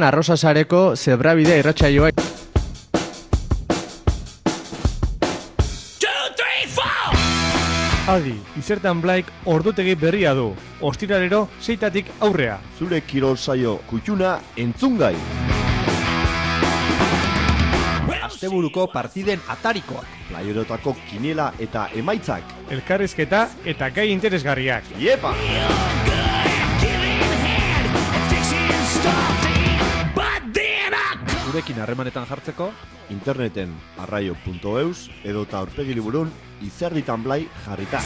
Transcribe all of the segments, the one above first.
Arrosa sareko zebrabidea irratsaioa. Adi, Izertan Blaik ordutegi berria du. Ostiralero 6tatik aurrea. Zure kirol saio kutxuna entzungai. Asteburuko partiden atarikoak. Playerotako kiniela eta emaitzak. Elkarrizketa eta gai interesgarriak. Iepa! Zurekin harremanetan jartzeko Interneten arraio.eus edota aurpegi liburun Izerditan Blai jarrita.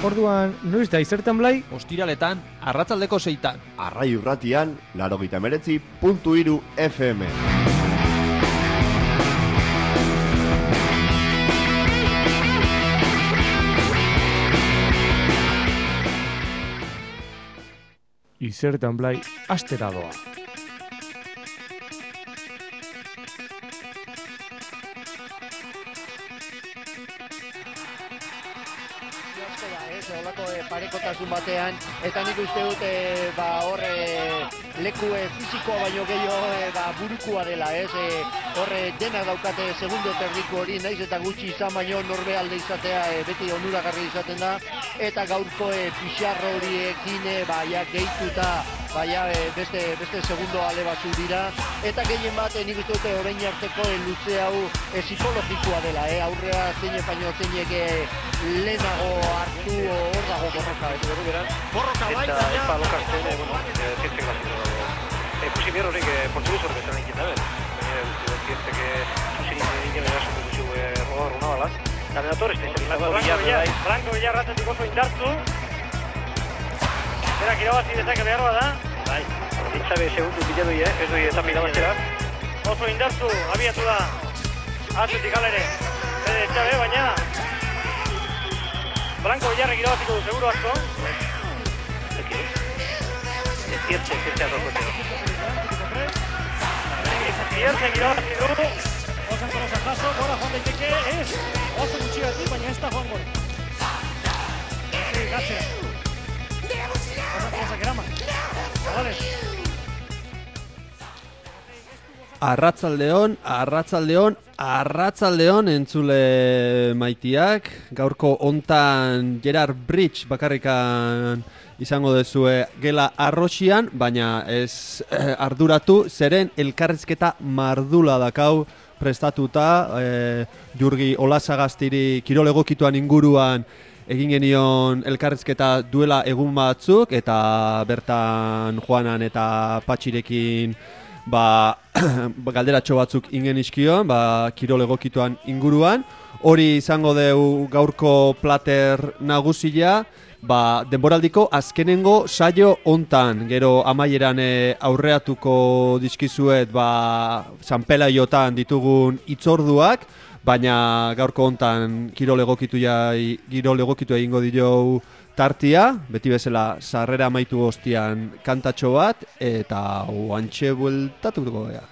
Orduan, noiz da Izertan Blai? ostiraletan arratsaldeko 6tan. Arraio irratian 89.3 FM. Izertan Blai astera doa. Parekotasun batean, eta nik uste dut leku fizikoa baino gehiago burukua dela, horre denak daukate segundo terdiko hori, naiz eta gutxi izan baino norbe alde izatea beti onuragarri izaten da, eta gaurko pixarro horiekin gehituta beste segundo ale batzu dira, eta gehien bat nik uste dut orain arteko luze hau psikologikoa dela, aurrea zeinek baino zeinek lehenago hartu hor dago borroka, borroka bai, eta epa lokazten, zientzek bazito. Ikusi behar horiek portuguz horrek esan egin dabe. Zientzek zuzin egin erasotu gutxu rodar una balaz. Eta medator ez da Blanco Villar ratetik oso indartu. Berak irabazi dezake behar bada. Bai, ditzabe segundu bila doi, ez doi eta irabaztera. Oso indartu, abiatu da. Atzetik alere. Ditzabe, baina Blanco Villarrek irabaziko du, seguro asko. Ziertzek adokoteo. Ziertzek irabazi du. Osan kolosa jaso, gora joan daiteke, ez. Oso gutxigatik, baina ez da joan gora. Gatzera. Osan kolosa keraman. Zabales. Arratsaldeon entzule maitiak. Gaurko hontan Gerard Bridge bakarrikan izango dezue gela arrosian, baina ez arduratu, zeren elkarrizketa mardula dakau prestatuta. Jurgi Olasagastiri kirol egokituan inguruan egin genion elkarrizketa duela egun batzuk, eta bertan Juanan eta Patxirekin galderatxo batzuk ingen izkion, kirol egokituan inguruan. Hori izango deu gaurko plater nagusia, denboraldiko azkenengo saio hontan. Gero amaieran aurreatuko dizkizuet San Pelaiotan ditugun itzorduak, baina gaurko hontan kirol egokitu egingo dio tartia, beti bezala sarrera amaitu ostian kantatxo bat, eta oantxe bueltatuko gara.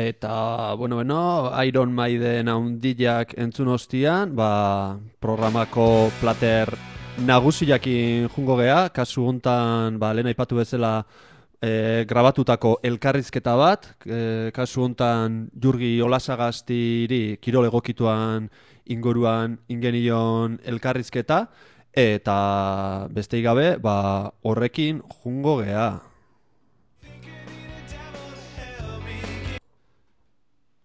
Eta, bueno, Iron Maiden haundillak entzun ostian, programako plater nagusiakin jungo gea, kasu hontan, lehen aipatu bezala grabatutako elkarrizketa bat, kasu hontan Jurgi Olasagastiri kirol egokituan inguruan ingenion elkarrizketa, eta besteik gabe, horrekin jungo gea.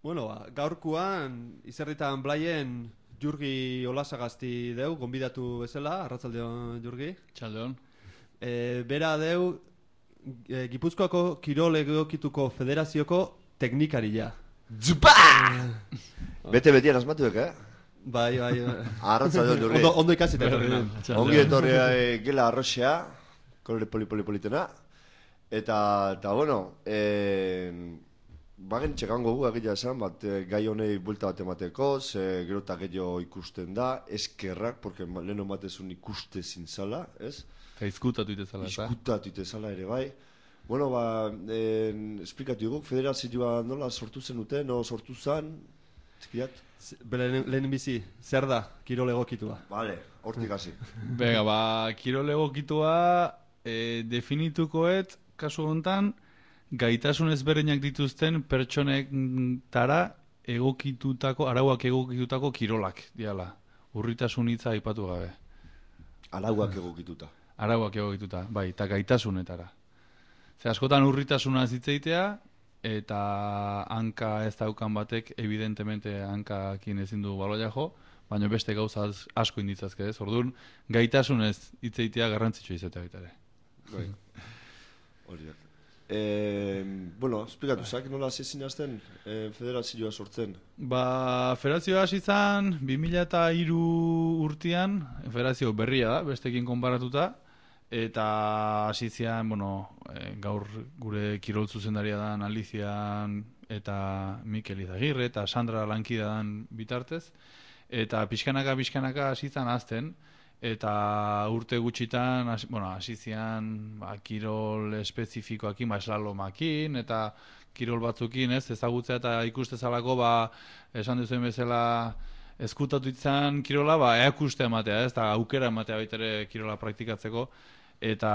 Bueno, gaurkoan Izerditan Blaien Jurgi Olasagasti deu, gonbidatu bezala, arratsaldeon Jurgi. Txaldeon. Bera deu, Gipuzkoako Kirol Egokituko Federazioko teknikaria. Zupa! Bete-betian asmatuek, Bai. Arratsaldeon Jurgi. Ondo ikasita etorri. Ongi etorri gela arroxea, kolore poli-politena. Eta bueno, bagen txekango gu egia esan, gai honei buelta bat emateko, ze gero eta gehiago ikusten da, eskerrak, porque leheno batezun ikuste zintzala, ez? Eta izkutatu itezala, eta? Izkutatu itezala ere, bai. Bueno, esplikatu dugu, federazioa nola sortu zenuten, no sortu zen, txikiat? Lehen bizi, zer da kirol egokitua? Vale, hortik hasi. Bega, kirol egokitua definitukoet, kasu hontan, gaitasun ezberdinak dituzten pertsonetara egokitutako, arauak egokitutako kirolak, diala. Urritasun hitza aipatu gabe. Arauak egokituta. Arauak egokituta, bai, eta gaitasunetara. Ze askotan urritasuna zitzeitea, eta hanka ez daukan batek, evidentemente hankakin ezin du baloia jo, baina beste gauza asko inditzazke ez. Orduan, gaitasunez hitzeitea garrantzitsua izatea baita ere. Bai. Horiak. Bueno, esplikatu zak, nola hasi zinazten federazioa sortzen? Federazioa hasi zen 2003 urtean, federazio berria da, bestekin konparatuta, eta hasi zian, gaur gure kirol zuzendaria dan Alizian eta Mikel Izagirre eta Sandra lankida dan bitartez, eta pixkanaka hasi zen azten, eta urte gutxitan, hasi zian kirol espezifikoakin, eslalomakin, eta kirol batzukin, ezagutzea eta ikustezalako, esan duzuen bezala, ezkutatu izan kirola, eakuste ematea, eta aukera ematea baitere kirola praktikatzeko, eta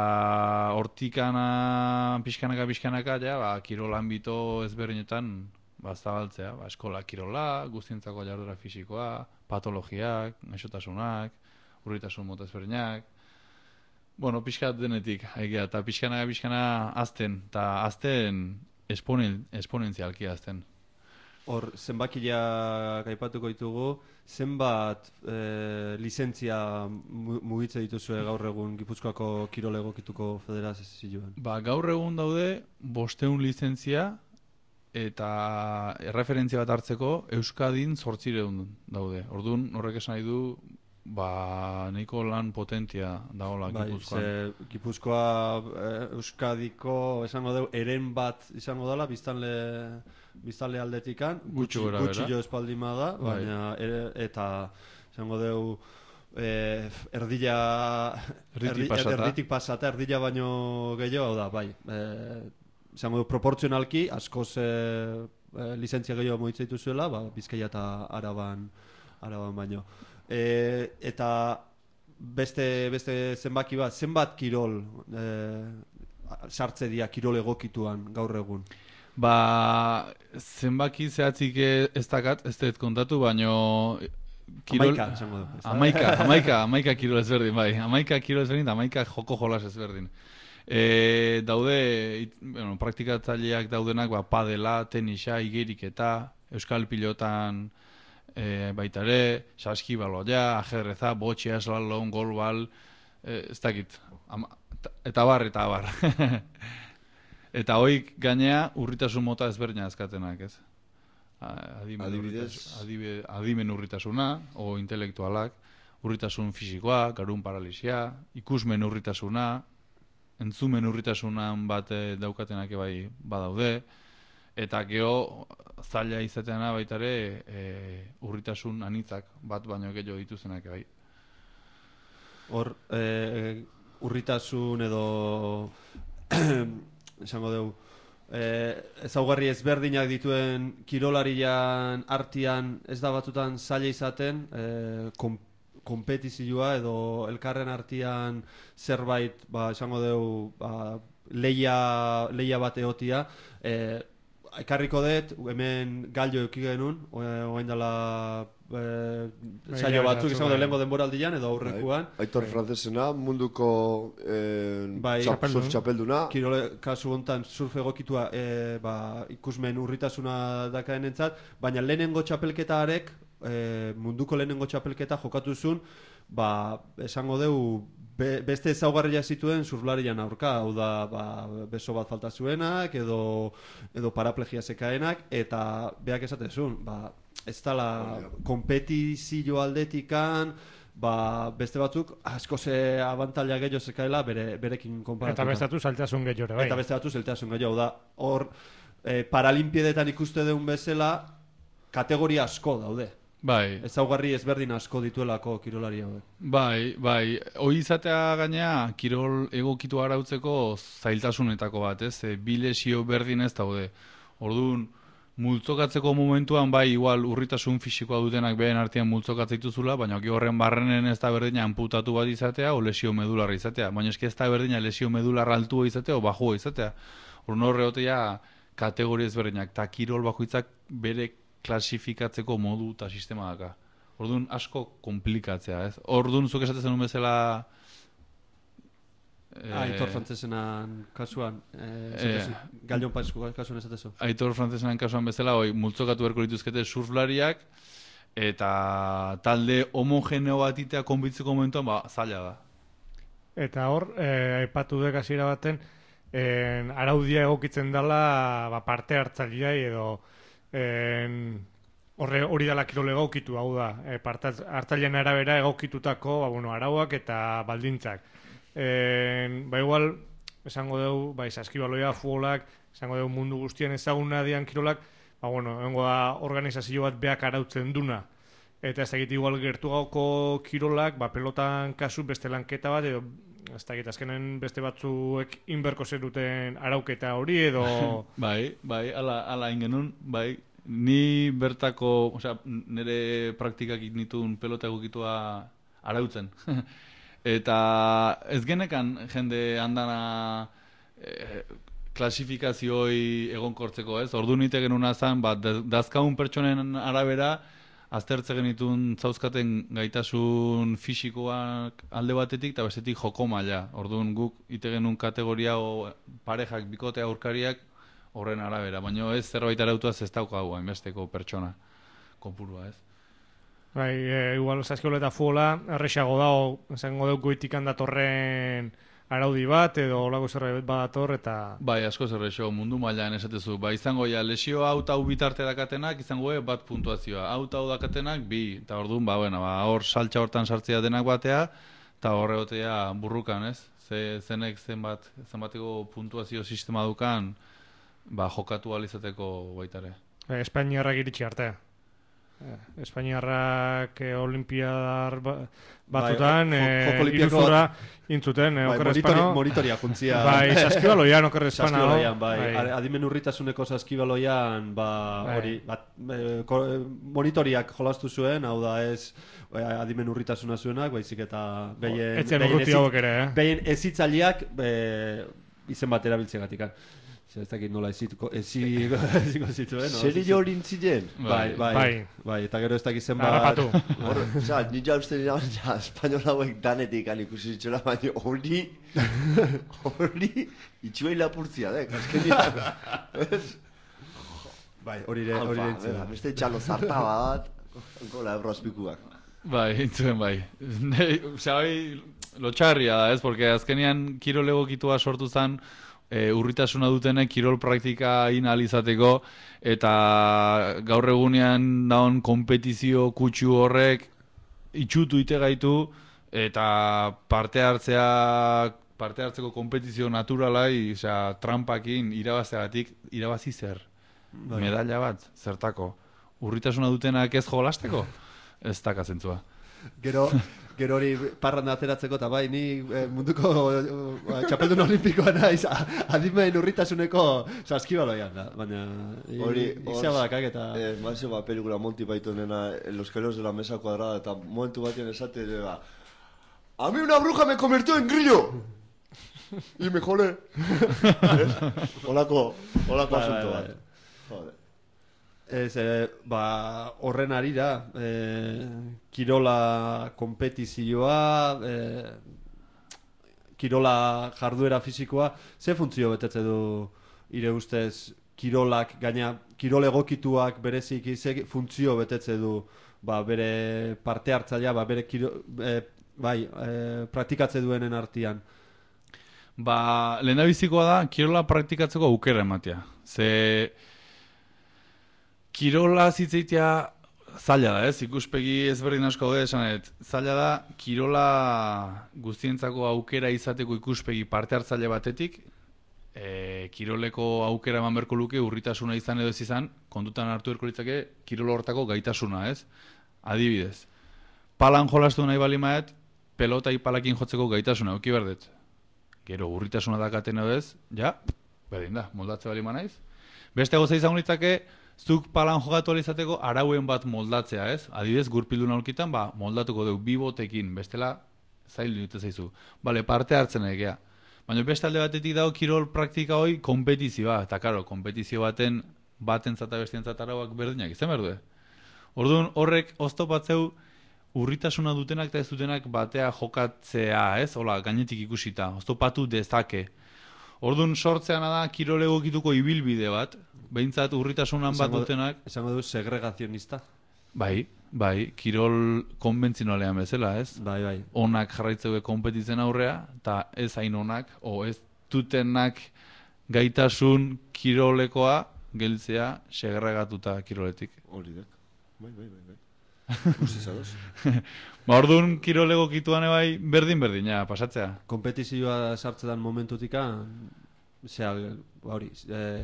hortikana, pixkanaka, kirol anbito ezberdinetan, zabaltzea, eskola kirola, guztientzako jarduera fisikoa, patologiak, gaixotasunak, urritasun mota ezberdinak, pixkat denetik, eta pixkana azten, eta azten esponentzialki azten. Hor, zenbakia gaipatuko ditugu, zenbat lizentzia mugitze dituzue gaur egun Gipuzkoako Kirol Egokituko Federazioan? Gaur egun daude 500 lizentzia, eta erreferentzia bat hartzeko Euskadin 800 daude. Orduan, horrek esan nahi du, nahiko lan potentia dagoela Gipuzkoan. Gipuzkoa Euskadiko esango dugu eren bat izango dela biztanle aldetikan, gutxi jo espaldima da, baina eta esango dugu erditik pasata, erdila baino gehiago da, bai. Esango dugu proportzionalki, askoz lizentzia gehiago moitzeitu zuela, Bizkaia eta Araban baino. Eta beste zenbaki bat, zenbat kirol sartze dira kirol egokituan gaur egun? Zenbaki zehatzik ez dakat, ez dut kontatu, baino Amaika, esango du. Amaika kirol ezberdin, bai. Amaika kirol ezberdin, amaika joko jolas ezberdin. Daude, praktikatzaileak daudenak, padela, tenisa, igeriketa, euskal pilotan, baita ere, saskibaloia, ajedreza, botxea, slalom, golbal, ez dakit, eta bar. Eta hoik gainea urritasun mota ezberdina azkatenak, ez? Adibidez? Adimen urritasuna, o intelektualak, urritasun fisikoa, garun paralisia, ikusmen urritasuna, entzumen urritasunan bat daukatenak bai badaude, eta geho zaila izateana baita ere urritasun anitzak bat baino gehiago dituzenak bai. Hor, urritasun edo esango dugu ezaugarri ezberdinak dituen kirolarian artean ez da batutan zaila izaten kompetizioa edo elkarren artean zerbait, esango dugu, leia bat egotia. Ekarriko dut, hemen gallo euki genuen, oain dela saio batzuk izango da lehenko denboraldian edo aurrekoan. Aitor Francesena, munduko surf txapelduna. Kirole kasu hontan surf egokitua ikusmen urritasuna dakaen entzat, baina lehenengo txapelketarek, munduko lehenengo txapelketa jokatu zuen, esango dugu, beste ezaugarria zituen surflarian aurka, hau da beso bat falta zuenak edo paraplegia zekaenak, eta beak esaten zuen, ez dala kompetizio aldetikan, beste batzuk asko ze abantaila gehiago zekaela berekin konparatuta. Eta bestatu saltasun gehiago, bai. Eta bestatu saltasun gehiago, da hor paralinpiedetan ikuste dugun bezala kategoria asko daude. Bai. Ezaugarri ezberdin asko dituelako kirolari hauek. Bai. Hoi izatea gainea, kirol egokitu arautzeko zailtasunetako bat, ez? Bi lesio berdin ez daude. Orduan, multzokatzeko momentuan, igual urritasun fisikoa dutenak behen artean multzokatzaituzula, baina horren barrenen ez da berdina amputatu bat izatea o lesio medularra izatea. Baina eski ez da berdina lesio medularra altua izatea o bajua izatea. Orduan horreotea kategoria ezberdinak, eta kirol bakoitzak bere klasifikatzeko modu eta sistema daka. Orduan asko komplikatzea, ez? Orduan zuk esatezen un bezala... Aitor Frantzesenan kasuan, Galion Paizko kasuan esatezu. Aitor Frantzesenan kasuan bezala, multzokatu berko lituzkete surflariak, eta talde homogeneo bat itea konbitzeko momentuan, zaila da. Eta hor, aipatu dek hasiera baten, araudia egokitzen dela parte hartzailea edo hori dela kirol egokitu, hau da, hartzailean arabera egokitutako arauak eta baldintzak. Igual, esango dugu, saskibaloia, futbolak, esango dugu mundu guztien ezaguna dian kirolak, hengo da organizazio bat beak arautzen duna. Eta ez dakit igual gertu gauko kirolak, pelotan kasu beste lanketa bat, edo ez dakit azkenen beste batzuek inberko zeruten arauketa hori edo... Bai, ala ingenun, ni bertako, nire praktikak nituen pelota egokitua arautzen. Eta ez genekan jende andana klasifikazioi egonkortzeko, ez? Ordu nite genuna zen, dazkaun pertsonen arabera, aztertze genitun zauzkaten gaitasun fisikoak alde batetik eta bestetik joko maila. Orduan guk ite genuen kategoria o parejak, bikote aurkariak horren arabera. Baina ez zerbait arautuaz ez daukagu hainbesteko pertsona kopurua, ez? Igual saskiola eta futbola erresago dago, esango dugu goitikan datorren araudi bat edo olako zerbait badator eta... Asko zerrexo, mundu mailan esatezu. Izango lesio hau eta hau bitarte dakatenak, izango bat puntuazioa. Hau eta hau dakatenak, bi. Eta orduan, hor saltza hortan sartzea denak batea, eta horregotea burrukan, ez? Zenek zenbateko puntuazio sistema dukan, jokatu alizateko baitare. Espainiarrak iritsi arte. Espainiarrak olimpiadar batutan iruzura intzuten monitoria juntzia saskibaloian okerre espana adimen urritasuneko saskibaloian monitoriak jolastu zuen, hau da ez adimen urritasuna zuenak, baizik eta behien ezitzaileak izen bat erabiltzegatik. Ez dakit nola eziko zituen. Zeri hori intzilen? Bai, eta gero ez dakit zen bat... Harrapatu. Nila uste nila espainola hauek danetik ikusi zitxola, baina hori itxuei lapurtzia, azkenian. Bai, hori entzien. Beste txalo zarta bat, gola ebroazpikuak. Intzuen lotxarria da, ez? Porque azkenian kirol egokitua sortu zen, urritasuna dutenek kirol praktika inalizateko eta gaur egunean daun kompetizio kutsu horrek itxutu ite gaitu eta parte hartzeko kompetizio naturalai, trampakin irabazeagatik irabazi zer? Medalla bat, zertako? Urritasuna dutenak ez jolasteko? Ez dakazentzua. Gero hori parranda ateratzeko, eta bai, ni munduko txapeldun olimpikoa naiz, adimen urritasuneko saskibaloian da, baina izabakak eta... Mazio pelikula Monty Pythonena, Los Gemelos de la Mesa Cuadrada, eta momentu batien esate, a mí una bruja me convirtió en grillo! Y me jolé. Olako asunto bat. Joder. Horren ari da, kirola kompetizioa, kirola jarduera fisikoa, ze funtzio betetze du ire ustez kirolak, gaina kirol egokituak bereziki ze funtzio betetze du bere parte hartzailea, bere praktikatze duenen artean? Lehendabizikoa da, kirola praktikatzeko aukera ematea. Ze kirola zitzeitea zaila da, ikuspegi ezberdin asko daude esanet. Zaila da, kirola guztientzako aukera izateko ikuspegi parte hartzaile batetik, kiroleko aukera eman berko luke urritasuna izan edo ez izan, kontutan hartu berko litzake kirol hortako gaitasuna, Adibidez, palan jolastu nahi bali maet, pelota palakin jotzeko gaitasuna, euki berdet. Gero urritasuna dakaten edo ez, berdin da, moldatze bali manaiz. Beste goza izan litzake, zuk palan jogatu alizateko arauen bat moldatzea, Adibidez, gurpildun aurkitan, moldatuko dugu bibotekin, bestela zail dute zaizu. Parte hartzen egea. Baina beste alde batetik dago kirol praktika hoi kompetizioa, eta karo, kompetizio batentzat eta bestientzat arauak berdinak, izan berdue. Orduan horrek oztopatzeu urritasuna dutenak eta ez dutenak batea jokatzea, Hola, gainetik ikusita, oztopatu dezake. Orduan sortzeana da kirol egokituko ibilbide bat, behintzat urritasunan bat dutenak... Esango du segregazionista? Bai, kirol konbentzionalean bezala, Bai. Onak jarraitzeu konpetitzen aurrea, eta ez hain onak, ez dutenak gaitasun kirolekoa geltzea segregatuta kiroletik. Hori dek, bai. Ustizadoz. Orduan kirol egokituan berdin, pasatzea. Kompetizioa sartzetan momentutika,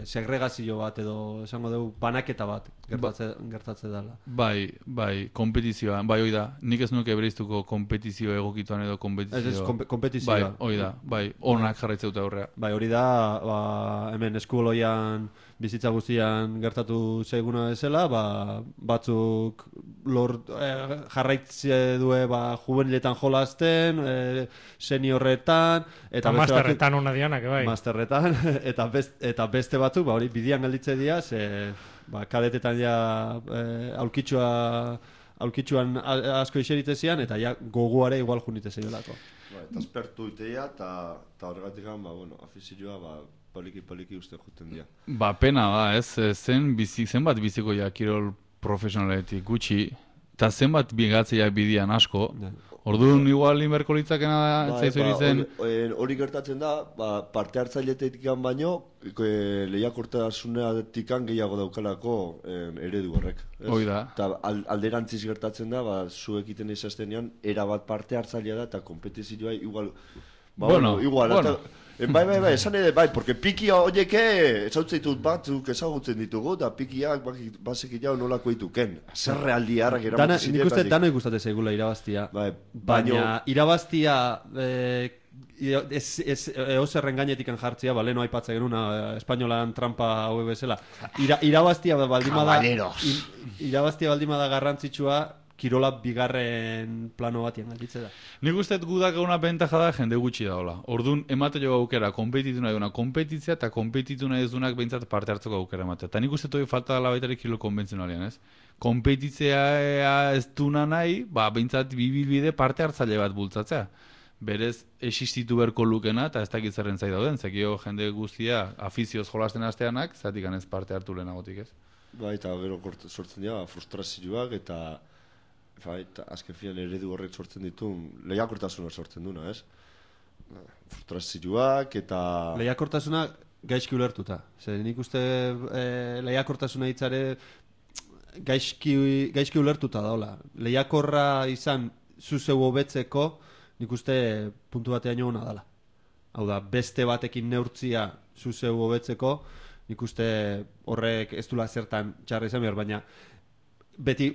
segregazio bat edo esango dugu banaketa bat gertatze dela. Bai, kompetizioa, hoi da. Nik ez nuke bereiztuko kompetizio egokituan edo kompetizioa. Kompetizioa. Hoi da, onak jarraitzeuta aurrea. Hori da, hemen eskubaloian bizitza guztian gertatu zaiguna bezala, batzuk jarraitze due juveniletan jolasten, seniorretan, eta masterretan hona dianak, bai. Masterretan, eta beste batzuk, hori bidian gelditze dira, kadetetan aulkitzuan asko iserite zian, eta goguare igual junite zeiolako. Eta espertu iteia, eta horregatik afizioa, poliki uste juten dira. Pena da, zenbat biziko kirol profesionaletik gutxi, eta zenbat bigatzea bidian asko. Orduan igual inberko litzakena da, zaizu zen... Hori gertatzen da, parte hartzailetetik baino, lehiakortasunetik gehiago daukalako eredu horrek. Hoi da. Eta alderantziz gertatzen da, zuek iten izaztenean, erabat parte hartzailea da, eta kompetizioa igual... Bueno. Bai, esan ere, porque pikia horieke esautzeitu batzuk ezagutzen ditugu, eta pikiak basik jau nolako dituken. Zer realdi harrak eramatez ziren. Nik uste dano ikustatez egula irabaztia. Baina irabaztia eozerren gainetikan jartzia, leheno aipatzen genuna, espainolan trampa haue bezala. Irabaztia baldimada garrantzitsua, kirola bigarren plano batien galditze da. Nik uste gudak eguna bentaja da jende gutxi daola. Orduan, emate jo aukera, kompetitu nahi duna kompetitzea, eta kompetitu nahi ez dunak behintzat parte hartzeko aukera ematea. Eta nik uste toi falta dela baitare kirol konbentzionalian, Kompetitzea ez duna nahi, behintzat bibilbide parte hartzaile bat bultzatzea. Berez, existitu berko lukena, eta ez dakit zerren zai dauden, zekio jende guztia afizioz jolasten hasteanak, zatik ganez parte hartu lehenagotik, Eta gero sortzen dira, frustrazioak, eta azken filan eredu horrek sortzen ditu, lehiakortasuna sortzen duna, Frustrazioak eta... Lehiakortasuna gaizki ulertuta. Nik uste lehiakortasuna hitzare gaizki ulertuta daola. Lehiakorra izan zuzeu hobetzeko, nik uste puntu batean ona dela. Hau da, beste batekin neurtzia zuzeu hobetzeko, nik uste horrek ez dula zertan txarra izan behar, baina beti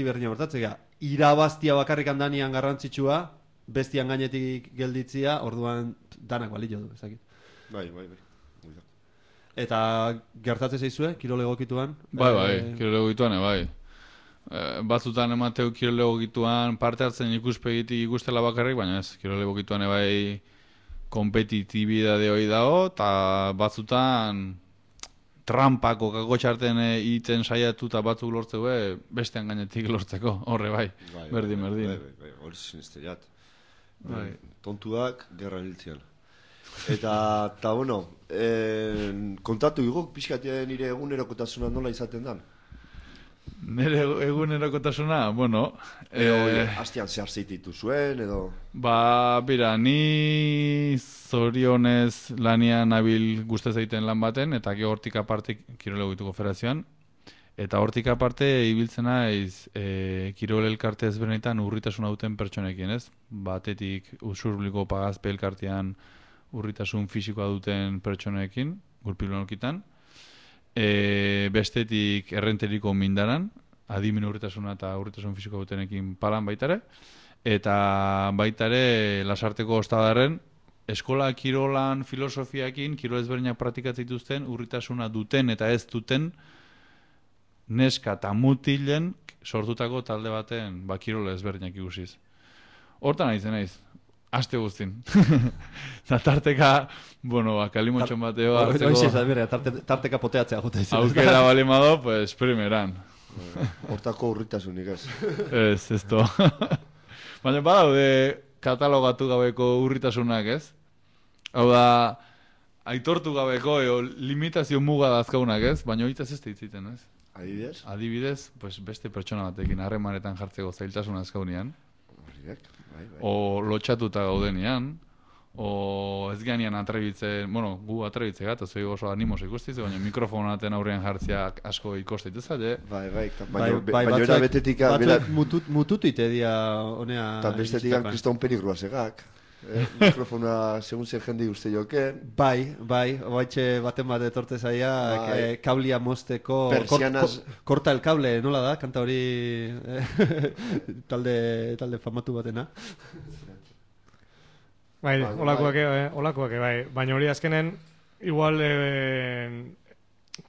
berdina bertatzea. Irabaztia bakarrik handanian garrantzitsua, bestian gainetik gelditzia, orduan danak balio du, ezakit. Bai. Eta gertatzen zaizue, kirol egokituan? Bai, kirol egokituan, bai. Batzutan emateu kirol egokituan parte hartzen ikuspegitik ikustela bakarrik, baina ez, kirol egokituan bai kompetitibidade hori dago, eta batzutan trampako kakotxarten iten saiatu eta batzuk lortzeu bestean gainetik lortzeko, horre bai, berdin. Bai, hori sinisteiat. Tontuak, gerra hiltzian. Eta bueno, kontatu igok, pixkatia nire egunerokotasuna nola izaten dan? Nire egunerokotasuna, bueno... Hastian zehar zeititu zuen, edo... Bira, ni zorionez lanian nabil guztez egiten lan baten, eta hortik aparte kirol egituko federazioan, eta hortik aparte ibiltzen naiz kirol elkarte ezberdinetan urritasuna duten pertsonekin, ez? Batetik usurbliko pagazpe elkartean urritasun fisikoa duten pertsonekin, gurpilonolkitan, bestetik errenteriko mindaran, adimen urritasuna eta urritasun fisikoa dutenekin palan baitare, eta baitare lasarteko ostadarren, eskola kirolan filosofiakin, kirol ezberdinak praktikatzen dituzten, urritasuna duten eta ez duten, neska eta mutilen sortutako talde baten kirol ezberdinak ikusiz. Hortan naiz, aste guztin. Eta tarteka, kalimotxon bateo hartzeko... Tarteka poteatzea jota izan. Aukera balimado, pues, primeran. Hortako urritasunik ez. Ez to. Baina badaude katalogatu gabeko urritasunak, ez? Hau da, aitortu gabeko limitazio muga dazkaunak, ez? Baina horietaz ez ditziten, ez? Adibidez? Adibidez, pues, beste pertsona batekin harremanetan jartzeko zailtasuna azkaunian. Bai. O lotxatuta gaudenian, o ez ganean atrebitzen, gu atrebitze gata, zoi oso animoz ikustiz, baina mikrofonaten aurrean jartziak asko ikosteite zaila. Bai, baina era betetik... Batzuk mututu ite dia honea... Eta bestetik kriston perigrua segak. Mikrofona segun zen jende uste joken. Bai, baten bat etorte zaia, kablia mozteko... Persianas... Korta el cable, nola da? Kanta hori talde famatu batena. Bai, olakoak, bai. Baina hori azkenen, igual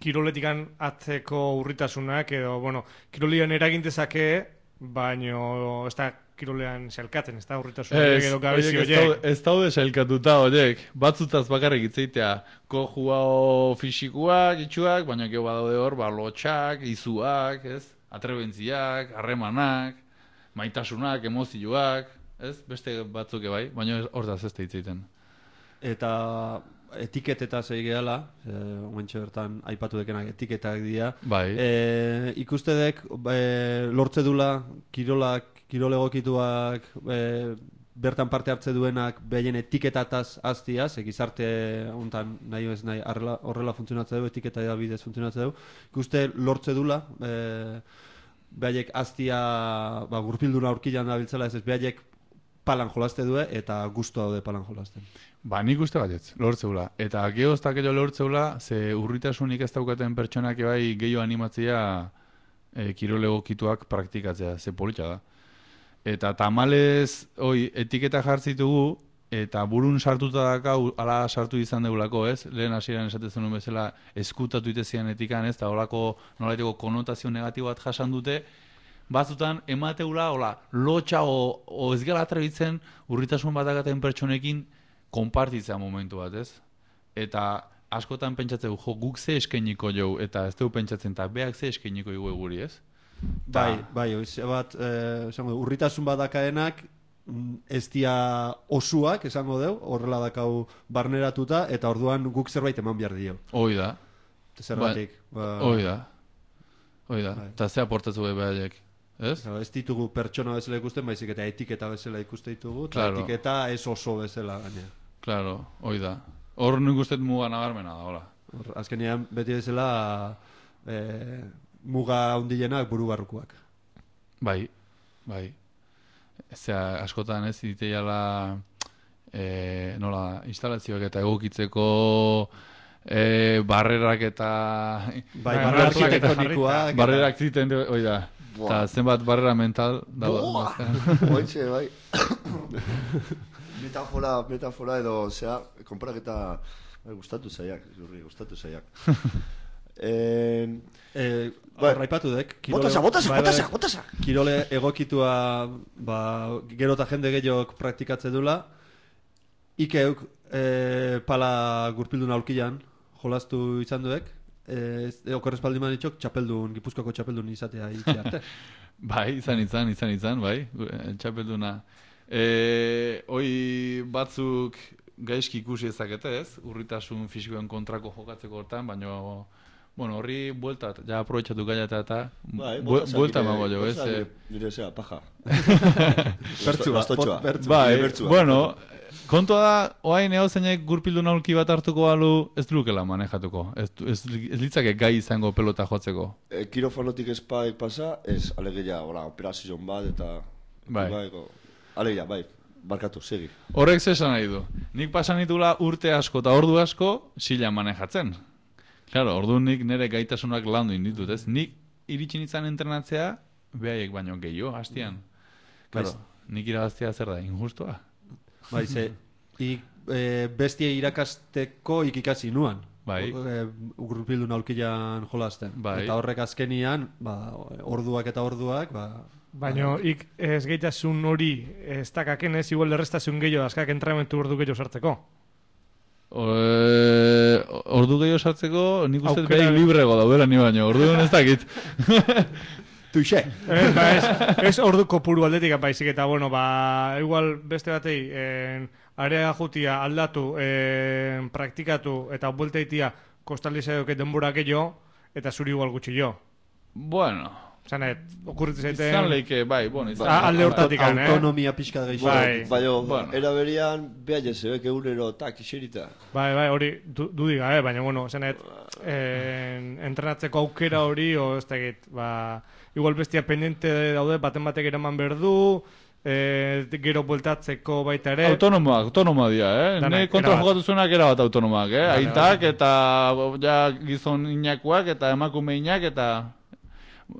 kiroletikan atzeko urritasunak, edo, kirolian eragintezake, baina ez da kirolean xelkatzen, ez da urritasunak edo gabezi horiek. Ez daude xelkatuta horiek, batzutaz bakarrik itzeitea, kojuao fisikuak, itxuak, baina gero badaude hor, lotxak, izuak, ez? Atrebentziak, harremanak, maitasunak, emozioak, ez? Beste batzuk bai, baina hortaz ez da itzeiten. Eta etiketetaz egiala, omentxe bertan aipatu dekenak etiketak dira. Bai. Ikustedek lortze dula kirol egokituak bertan parte hartze duenak behaien etiketataz aztiaz, gizarte hontan nahi ez nahi horrela funtzionatze du, etiketa bidez funtzionatze du. Ikuste lortze dula behaiek aztia gurpildura aurkilan dabiltzela, ez behaiek palan jolazte du eta gustu daude palan jolazten. Nik uste batez, lortzeula. Eta geoztak edo lortzeula, ze urritasunik ez daukaten pertsonak bai gehiago animatzea kirol egokituak praktikatzea, ze politxa da. Eta tamalez, etiketa jartzitugu, eta burun sartuta dakau, ala sartu izan deulako, ez? Lehen hasieran esatezen nuen bezala, eskutatu itezian etikan, ez? Eta holako nolaiteko konotazio negatibo bat jasan dute, batzutan emateula, lotxa o ez gara atrebitzen urritasun bat dakaten pertsonekin konpartitzea momentu bat, ez? Eta askotan pentsatzeu, guk ze eskainiko jau, eta ez dugu pentsatzen, eta beak ze eskainiko jau guri, ez? Bai, bat, urritasun bat dakaenak, ez dia osuak, esango deu, horrela dakau barneratuta, eta orduan guk zerbait eman behar dio. Hoi da. Zerbatik. Hoi da. Eta ze aportatzu behaiek. Ez? Ez ditugu pertsona bezala ikusten, baizik eta etiketa bezala ikuste ditugu, eta etiketa ez oso bezala gaina. Claro, hoi da. Hor nik ustet muga nabarmena da, hola. Azkenean beti bezala muga hundienak buru barrukoak. Bai. Zea, askotan ez diteiala instalazioak eta egokitzeko barrerak eta... Barrerak arkitektonikoak. Barrerak ziten, hoi da. Eta zenbat barrera mental Boa! dago. Oitxe, bai. Metafora edo, zera, konparaketa gustatu zaiak, gustatu zaiak. Raipatu dek. Botasa! Kirole egokitua, gero eta jende gehiok praktikatze dula. Ikeuk pala gurpildun aurkian jolastu izan duek. Okorrez paldiman itxok, Gipuzkoako txapeldun izatea itxe arte. Bai, izan, bai, txapelduna. Hoi batzuk gaizki ikusi ezakete ez, urritasun fisikoen kontrako jokatzeko hortan, baina horri bueltat, ja aprobetxatu gailata eta buelta mago jo, ez? Nire zera, paja. Bertzua. Bai, bueno, kontua da, oain zeinek gurpildun aulki bat hartuko balu, ez lukela manejatuko. Ez litzake gai izango pelota jotzeko. Kirofanotik espaik pasa, ez alegia, operazion bat, eta... Bai. Alegia, bai, barkatu, segi. Horrek zesan nahi du. Nik pasan ditula urte asko eta ordu asko sila manejatzen. Claro, ordu nik nire gaitasunak landu inditut, ez? Nik iritsi nintzen entrenatzea, behaiek baino gehiago, hastian. Claro, nik irabaztea zer da, injustua. Bai, bestie irakasteko ikikasi nuan. Bai. Gurpildun aulkian jolasten. Bai. Eta horrek azkenian, orduak eta orduak, Baina ez gaitasun hori ez dakaken ez igual errestasun gehiago azkak entrenamentu ordu gehiago sartzeko. Ordu gehiago sartzeko nik uste behar librego daudela ni baino, ordu ez dakit. Tuixe. Ez ordu kopuru aldetik baizik eta igual beste batei area jutia aldatu, praktikatu eta buelta itia kostalizaioke denbora gehiago eta zuri igual gutxi jo. Bueno... Zanet, okurritu zaiten... Izan leike, bai, alde hortatik, autonomia pixka da gaixo. Baina, eraberian, behar jezebek eurero, iserita. Bai, hori, dudiga, baina, zanet, entrenatzeko aukera hori, ez da egit, igual bestia pendiente daude, baten batek eraman berdu, gero bueltatzeko baita ere. Autonomoa dira, Ne kontra jokatu zuenak era bat autonomoak, Aitak eta gizon inakuak eta emakume inak eta...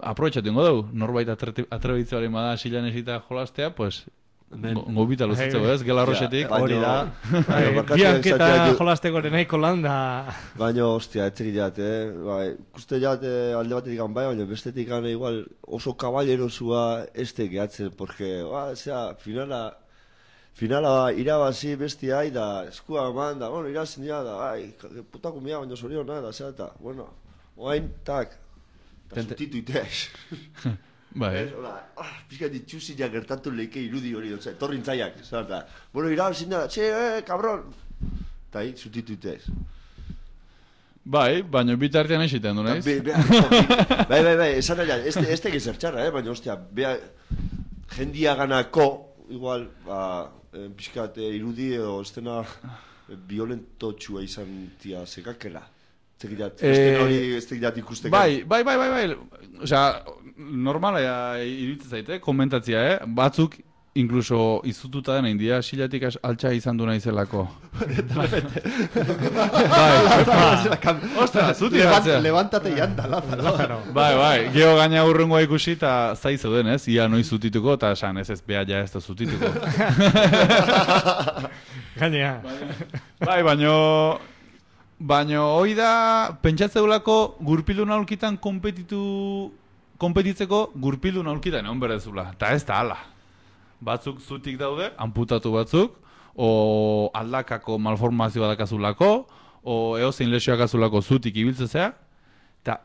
Aprobetxatu ingo dugu, norbait atrebitzea hori bada silan esita jolastea, pues gobita luzitzeko ez, gela rosetik. Hori da. Bianketa jolasteko nahiko lan da. Baina, ostia, etzerik jat, Kuste jat alde batetik baina bestetik igual oso kaballerosua ez tegeatzen, porque, finala irabazi bestia da eskua eman da, irazin dira da, putako mia baina zoriona da, eta, oain, eta zutitu itez. Bai. Pizka ditxuzinak gertatu leike irudi hori, torrin zaiak. Irabazin da, kabron! Eta zutitu itez. Bai, baina bitartean esiten du, nahiz? Bai, esan nahi, ez tegi zertxarra, baina, ostia, jendia ganako, igual, pizkat irudi edo estena violentotxua izan tia zekakela. Ez tegidat ikusteko. Bai. Osea, normala iruditzen zaite, komentatzia, batzuk inkluso izututa dena india silatik altxa izan du naizelako. Ostra, zuti batzea. Levantate y anda, Lázaro. Bai, geho gaina urrengoa ikusi eta zai zeuden, ez? Ia noiz zutituko, eta esan ez beha ja ez da zutituko. Gainea. Bai, baina hoi da, pentsatzeulako gurpildun aulkitan konpetitzeko gurpildun aulkitan egon berezula. Eta ez da ala. Batzuk zutik daude, amputatu batzuk, o aldakako malformazioa dakazulako, o eozein lesioak azulako zutik ibiltzezea, eta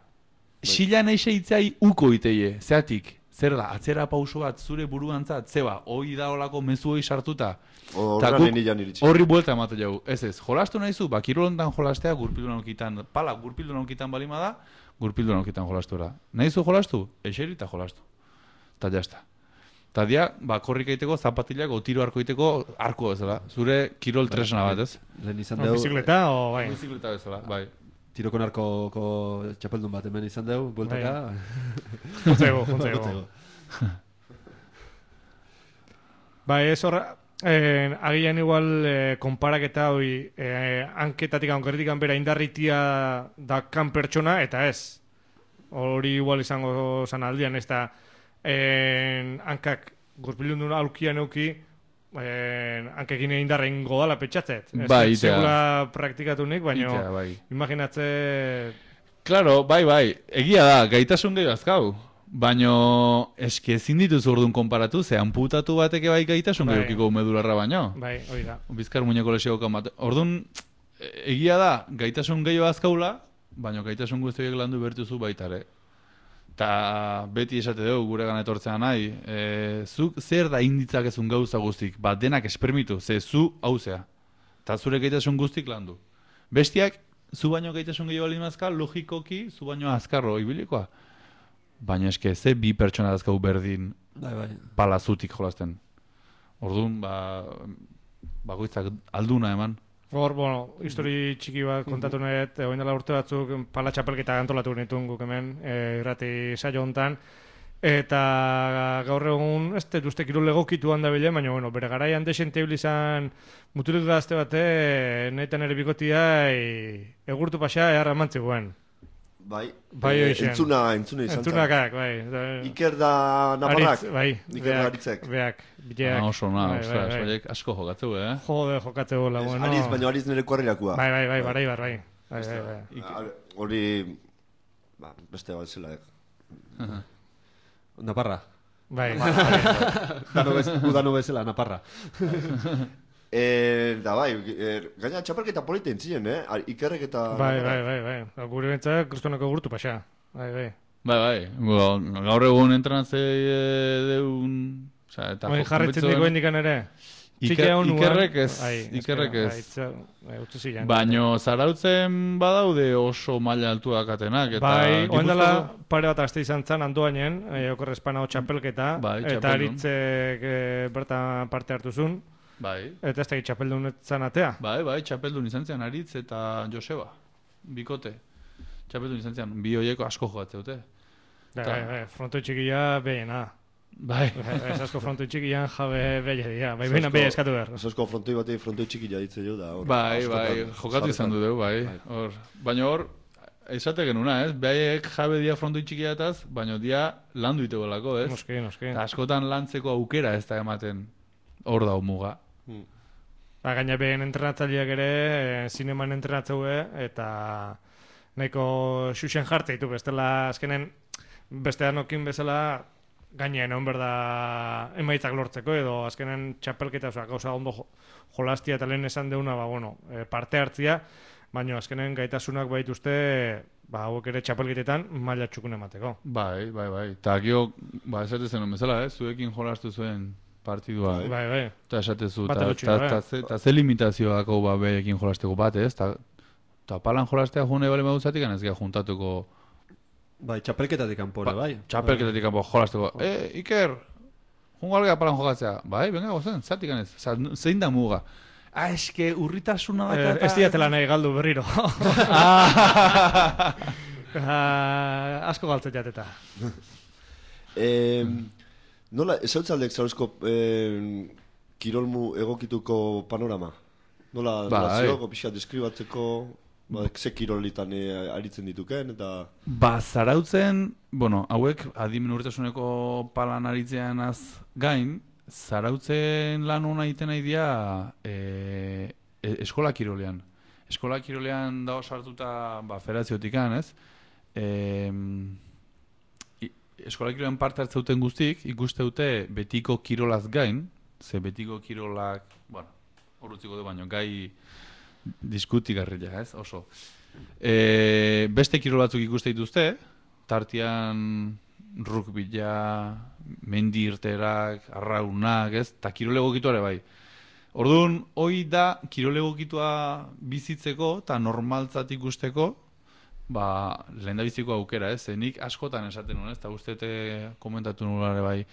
silan eixeitzai uko iteie, zeatik, zer da, atzera pauso bat zure buruantzat, zeba, hoi da olako mezu hoi sartuta, horri buelta emate jau, ez, jolastu nahizu, kirolontan jolastea gurpildun aulkitan, pala gurpildun aulkitan balima da, gurpildun aulkitan jolastu era. Nahizu jolastu? Eixeri eta jolastu. Eta jazta. Eta dia, korrik egiteko, zapatilak, o tiro arko egiteko, arko bezala. Zure kirol tresna bat, ez? Bizikleta, o bai? Bizikleta bezala, bai. Tiroko narkoko txapeldun bat hemen izan dugu, bueltaka. Juntzego. Bai, ez horra, agian igual konparaketa hori, hanketatik, hankerritik bera indarritia dakan pertsona, eta ez. Hori igual izango zan aldian, ez da, hankak gurpilundun aulkian euki, hankekin indarra ingo dala petxatzet. Bai, Segula praktikatunik, baina Itea, bai. imaginatze... Claro, bai, egia da, gaitasun gehi azkau. Baino, eske ezin dituz orduan konparatu, ze amputatu bateke bai gaitasun Bai. gehiokiko medularra baino. Bai, hori da. Bizkar muñeko lesioko bat. Orduan, egia da, gaitasun gehiago azkaula, baino gaitasun guztiak landu bertuzu baitare. Ta beti esate dugu gure gana etortzea nahi, zuk zer da inditzakezun gauza guztik, bat denak espermitu, ze zu hauzea. Ta zure gaitasun guztik landu. Bestiak, zu baino gaitasun gehiago alimazka, logikoki, zu baino azkarro ibilikoa. Baina eske, ze bi pertsona dazkau berdin palazutik jolasten. Orduan, bakoitzak alduna eman. Hor, bueno, histori txiki bat kontatu nahet, oin dela urte batzuk pala txapelketa antolatu nituen guk hemen, irrati saio hontan, eta gaur egun, ez dut uste kirol egokitu handa bile, baina, bueno, bere garaian desente izan muturik gazte bate, nahitan ere bikotia, egurtu pasa, eharra mantzi guen. Bai, entzuna izan zen. Entzunakak, bai. Iker da Navarrak? Aritz, bai. Iker da Aritzek. Beak, bileak. Oso na, ostras, asko jokatzeu, Jode, jokatzeu, la, bueno. Ariz, baina Ariz nire kuarrirakua. Bai, bai. Hori, beste bat zela, Naparra. Bai. Udano bezala, Naparra. Da bai, gaina txapelketa polita entzien, Ikerrek eta... Bai. Gure bentzak, kristonako gurtu pasa. Bai. Bai, gaur egun entrenatze deun... Bai, jarretzen diko indikan ere. Ikerrek ez. Baino zarautzen badaude oso maila altuak atenak. Bai, oendala pare bat aste izan zan andoainen, okorrezpana txapelketa, eta Aritzek bertan parte hartuzun. Bai. Eta ez da txapeldun etzan atea. Bai, txapeldun izan zen Aritz eta Joseba. Bikote. Txapeldun izan zen, bi hoieko asko jogatzeute. Bai, frontoi txikia behena. Bai. Ez asko frontoi txikian jabe behe dira. Bai, behena behe eskatu behar. Ez asko frontoi batei frontoi txikia ditze jo da. Bai, jokatu izan du dugu, bai. Baina hor, esate genuna, ez? Behaiek jabe dia frontoi txikiataz, baina dia landu ite bolako, ez? Noski. Eta askotan lantzeko aukera ez da ematen hor da muga. Gaina behen entrenatzaileak ere, zineman entrenatzeue, eta nahiko xuxen jartze ditu, bestela azkenen beste anokin bezala gainean egon berda emaitzak lortzeko, edo azkenen txapelketa, gauza ondo jolastia eta lehen esan deuna, parte hartzia, baina azkenen gaitasunak baituzte, hauek ere txapelketetan maila txukun emateko. Bai. Eta gio, esatezen bezala, zuekin jolastu zuen partidua. Bai. Eta esatezu, eta ze limitazioako behekin jolasteko bat, ez? Eta palan jolastea june bale maduzatik, ez gara juntatuko... Bai, txapelketatik kanpora, bai. Txapelketatik kanpora jolasteko. Iker, jungo algea palan jokatzea. Bai, venga, gozen, zatik ganez. Zein da muga? Eske, urritasuna da... Ez diatela nahi galdu berriro. Asko galtzet jateta. Nola, ezautzaldek zauzko kirolmu egokituko panorama? Nola zioko pixka deskribatzeko, ze kirolitan aritzen dituken, eta... Zarautzen, hauek adimen urtasuneko palan aritzeanaz gain, zarautzen lan hona egiten nahi dira eskola kirolean. Eskola kirolean dago sartuta federaziotikan, ez? Eskola kirolean parte hartzeuten guztik, ikuste dute betiko kirolaz gain, ze betiko kirolak, hor utziko du baino, gai diskutigarria, ez, oso. Beste kirol batzuk ikuste dituzte, tartian rukbila, mendi irterak, arraunak, ez, eta kirol egokituare bai. Orduan, hoi da kirol egokitua bizitzeko eta normaltzat ikusteko, lehen da biziko aukera, ez? Nik askotan esaten nuen, ez? Eta ustete komentatu nulare bai,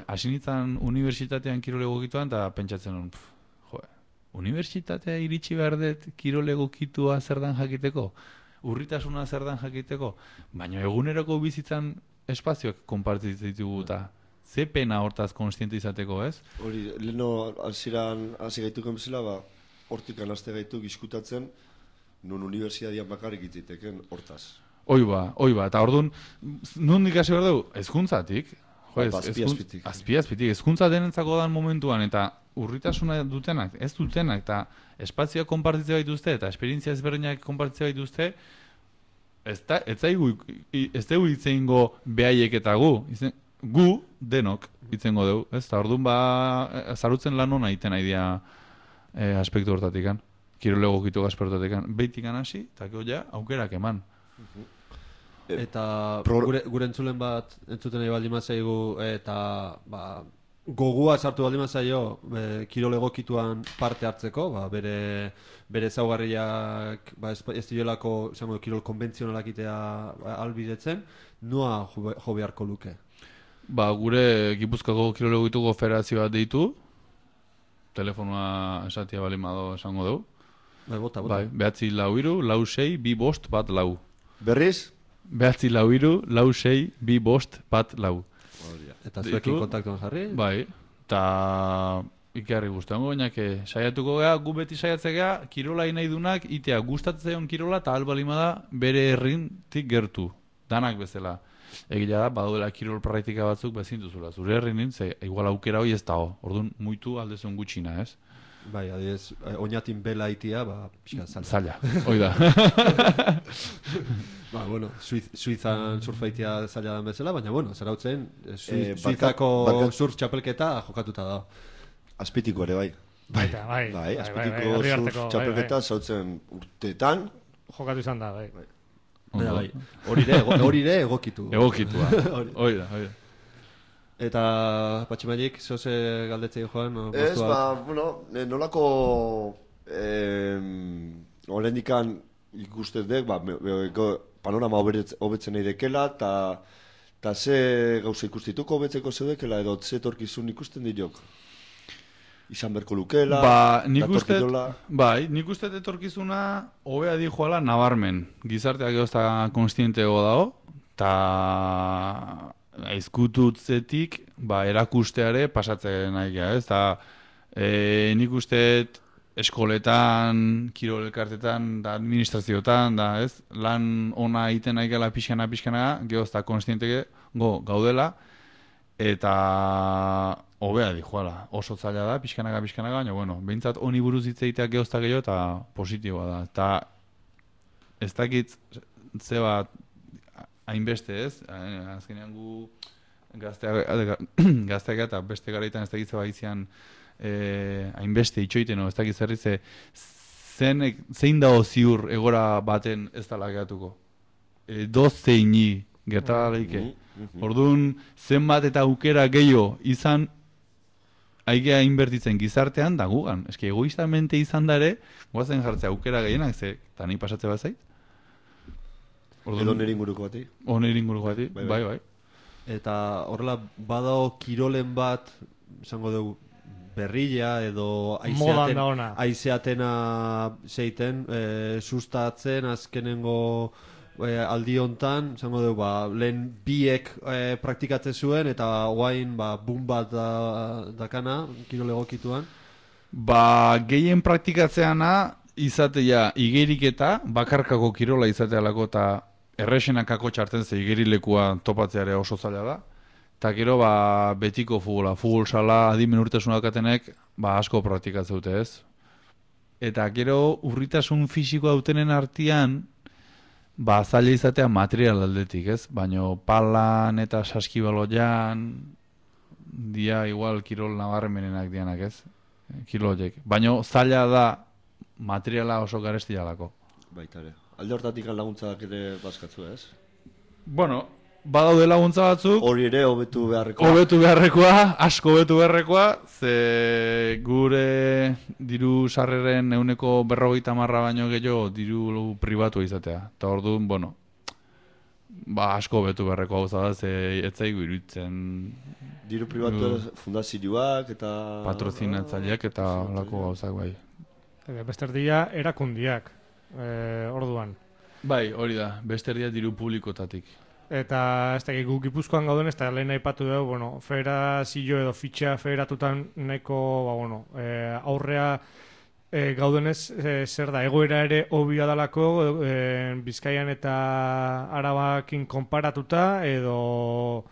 hasinitzan unibertsitatean kirol egokituan, eta pentsatzen nuen, unibertsitatea iritsi behar dut kirol egokitua zer dan jakiteko? Urritasuna zer dan jakiteko? Baina eguneroko bizitzan espazioak konpartitzen ditugu eta ze pena hortaz konstiente izateko, ez? Hori, leheno hasi gaituken bezala, hortikan haste gaituk diskutatzen, nun unibertsitatean bakarrik itziteken hortaz. Hoi ba, eta orduan, nun ikasi behar dugu? Ezkuntzatik. Jo, Azpi-azpitik. azpi-azpitik. Hezkuntza denentzako dan momentuan, eta urritasuna dutenak, ez dutenak, eta espazioak konpartitzea baituzte, eta esperientzia ezberdinak konpartitzea baituzte, ez dugu itzeingo behaiek eta gu denok itzengo dugu, ez? Eta orduan zarutzen lan hona iten nahi aspektu hortatik. Kirol egokitu aspektu hortatik. Behitik hasi, eta ja, aukerak eman. Eta gure entzulen bat entzuten nahi baldin mazaigu eta gogua sartu baldin mazaio kirol egokituan parte hartzeko, bere ezaugarriak ez diolako kirol konbentzionalak itea albidetzen, nua jo beharko luke? Gure Gipuzkoako kirol egokituko federazioa deitu, telefonoa esatia baldin bado esango dugu. Bota. 9-6-2-5-2-4. Berriz? 9-6-2-5-2-4. Eta zuekin kontaktuan jarri? Bai, eta ikarri guztuango, bainake saiatuko gea, gu beti saiatzea kirola nahi dunak, itea gustatzen kirola eta albalimada bere herrintik gertu, danak bezala. Egia da, badaudela kirol praktika batzuk bezintuzula. Zure herrin ze igual aukera hoi ez dago, orduan muitu aldezun gutxina, ez? Bai, adiez, oinatin bela itia, pixka zaila. Hoi da. Suizan surfaitia zaila den bezala, baina, zarautzen, Suizako surf txapelketa jokatuta da. Azpitiko ere, bai. Bai, azpitiko surf txapelketa zautzen urteetan. Jokatu izan da, bai. Hori ere egokitu. Egokitua, hoi da. Eta Patximailik, zoze galdetzei joan? Ez, nolako horrendikan ikustez dek, panorama hobetzen nahi dekela, eta ze gauza ikustituko hobetzeko zeudekela, edo ze torkizun ikusten diok? Izan berko lukela, nik uste etorkizuna hobea di joala nabarmen. Gizarteak egozta konstientego dago, eta aizkututzetik erakusteare pasatzen nahi gara, ez? Nik uste eskoletan, kirol elkartetan, administrazioetan, lan ona egiten nahi gara pixkana, geozta konstientege gaudela, eta hobea di joala. Oso zaila da, pixkanaga, baina, behintzat honi buruz hitz egiteak geozta gehiago eta positiboa da. Eta ez dakit ze bat hainbeste, ez? Azkenean gu gazteak eta beste garaitan ez dakit zeba izian hainbeste itxoiten, ez dakit zerrize zein dago ziur egora baten ez dala gehatuko. Dozeini gertalaike. Orduan, zenbat eta aukera gehiago izan aigea inbertitzen gizartean da gugan. Eski egoistamente izan dare, guazen jartzea aukera gehienak, eta nahi pasatze bat zait. Edo nire inguruko bati. Bai. Eta horrela, badao kirolen bat, esango dugu, berrila edo aizeatena zeiten, sustatzen, azkenengo aldi hontan, esango dugu, lehen biek praktikatzen zuen, eta guain boom bat dakana, kirol egokituan. Gehien praktikatzeana izatea igeriketa, bakarkako kirola izatealako eta erresenakako txarten ze igerilekua topatzeare oso zaila da. Eta gero betiko futbola, futbol sala adimen urritasun dakatenek asko praktikatzen dute, ez? Eta gero urritasun fisiko dautenen artean zaila izatea material aldetik, ez? Baina palan eta saskibaloian dia igual kirol nabarmenenak dianak, ez? Kiroloiek. Baina zaila da materiala oso garesti jalako. Baita ere. Alde hortatik laguntzak ere bazkatzu, ez? Badaude laguntza batzuk. Hori ere hobetu beharrekoa. Asko hobetu beharrekoa, ze gure diru sarreren 150 baino gehiago diru pribatu izatea. Eta orduan, asko hobetu beharrekoa gauza da, ze etzaigu iruditzen. Diru pribatu fundazioak eta patrozinatzaileak eta holako gauzak bai. Besterdia erakundiak, orduan. Bai, hori da, besterdia diru publikotatik. Eta ez da, guk Gipuzkoan gauden, ez da lehen aipatu dugu, federazio edo fitxa federatutan nahiko, aurrea gaudenez, zer da, egoera ere hobia dalako, Bizkaian eta Arabakin konparatuta, edo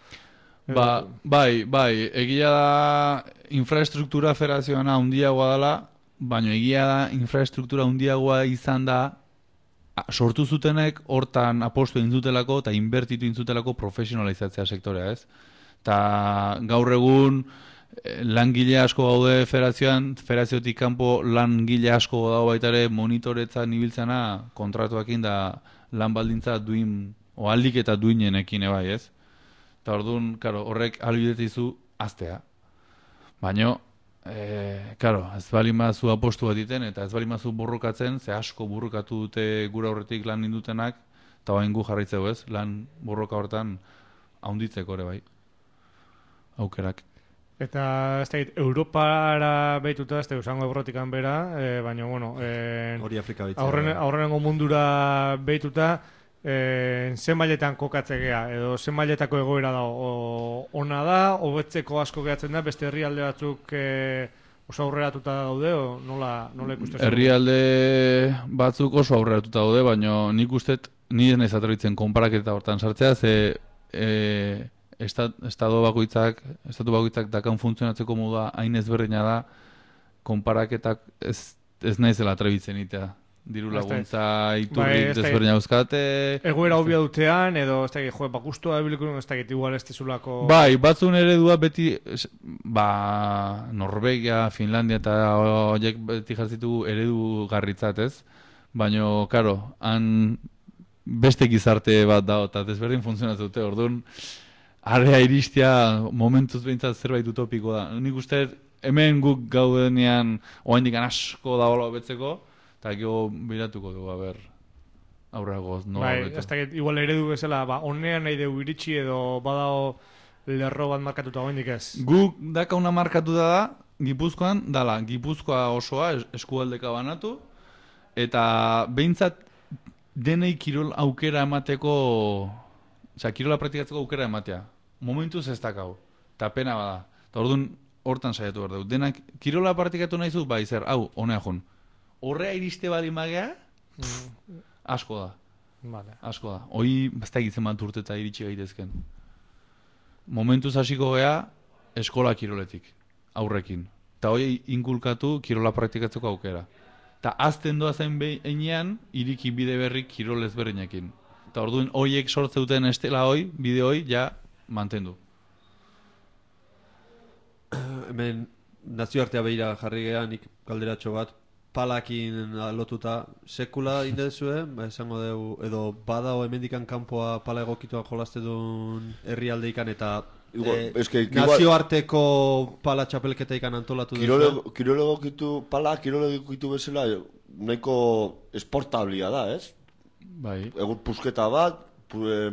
Bai, egia da infraestruktura federazioana handiagoa dela, baina egia da infraestruktura handiagoa izan da sortu zutenek hortan apostu egin zutelako eta inbertitu egin zutelako profesionalizatzea sektorea, ez? Ta gaur egun langile asko gaude federaziotik kanpo langile asko dago baita ere monitoretzan ibiltzena kontratuekin da lan baldintza duin o aldik eta duinenekin bai, ez? Eta orduan, claro, horrek ahalbidetizu aztea. Baina ez balin bazu apostu bat iten, eta ez balin bazu borrokatzen, ze asko borrokatu dute gura horretik lan nindutenak, eta bain gu jarraitzeu ez, lan borroka horretan haunditzeko ere bai. Aukerak. Eta ez da, Europara behituta, ez da, usango Ebrotikan bera, baina, bueno, Hori Afrika behitzea. aurrenengo mundura behituta, zen mailetan kokatzegea, edo zen mailetako egoera da, ona da, hobetzeko asko gehatzen da, beste herrialde batzuk oso aurreratuta daude, o nola ikusten? Herrialde batzuk oso aurreratuta daude, baina nik ustet, ni ez naiz atrebitzen konparaketa hortan sartzea, ze estatu bakoitzak dakan funtzionatzeko moda hain ezberdina da, konparaketak ez naizela atrebitzen itea. Diru laguntza iturri desberdina euskate. Egoera hobia dutean, edo ez dakit, bakustua ebiliko, ez dakit, igual ez tezulako... Bai, batzun eredua beti, Norvegia, Finlandia eta horiek beti jartzitu eredu garritzat, ez? Baina, karo, han beste gizarte bat da, eta desberdin funtzionatzen dute, orduan, area iristia momentuz behintzat zerbait utopiko da. Nik uste, hemen guk gaudenean, oaindik asko da hola hobetzeko, eta gero biratuko dugu, aurragoz. Bai, ez dakit, igual eredu bezala, onean nahi dugu iritsi edo badao lerro bat markatuta oaindik ez? Guk dakauna markatuta da, Gipuzkoan, dala, Gipuzkoa osoa eskualdeka banatu, eta behintzat denei kirol aukera emateko, kirola praktikatzeko aukera ematea. Momentuz ez dakau, eta pena bada. Eta orduan hortan saiatu behar dugu. Denak kirola praktikatu nahi zu, bai zer, honea jun. Horrea iriste bali magea, asko da. Vale. Asko da. Hoi, ez da egitzen bat urte eta iritsi gaitezken. Momentuz hasiko gea, eskola kiroletik, aurrekin. Eta hoi inkulkatu kirola praktikatzeko aukera. Eta azten doa zen behinean, iriki bide berrik kirol ezberdinekin. Eta orduan horiek sortzeuten estela hoi, bide hoi, ja, mantendu. Hemen nazioartea behira jarri gehan, nik galderatxo bat, palakin lotuta sekula indezue, esango dugu, edo badao hemendikan kanpoa pala egokituan jolaste duen herrialdeikan eta nazioarteko pala txapelketa ikan antolatu duzu. Kirol egokitu bezala nahiko esportablia da, ez? Bai. Egun pusketa bat,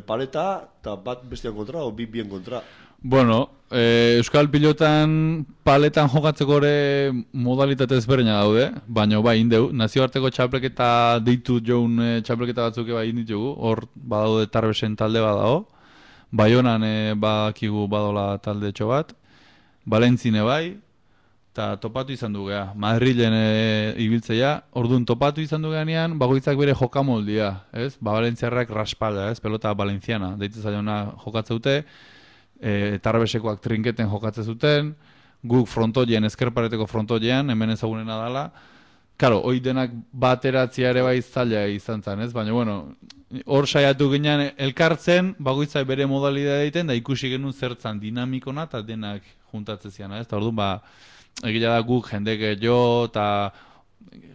paleta, eta bat bestian kontra, o bien kontra. Bueno, Euskal Pilotan paletan jokatzeko ere modalitate ezberdina daude, baina bai, indeu, nazioarteko txapelketa deitu joun txapelketa batzuk bai inditugu, hor badaude Tarbesen talde badago, Baionan badakigu badola talde txo bat, Valentzine bai, eta topatu izan du gea, Madrilen ibiltzea, orduan topatu izan du geanean, bagoitzak bere jokamoldia, ez? Valentziarrak raspalda, ez? Pelota valenciana, deitu zaiona jokatzeute, Tarbesekoak trinketen jokatzen zuten, guk frontoien, ezkerpareteko frontoiean, hemen ezagunena dala. Karo, hoi denak bateratzia ere bai zaila izan zen, ez? Baina, bueno, hor saiatu ginean elkartzen, bagoitzak bere modalidea egiten, da ikusi genuen zertzan dinamikona eta denak juntatzen zian, ez? Eta orduan, egia da guk jende gehiago eta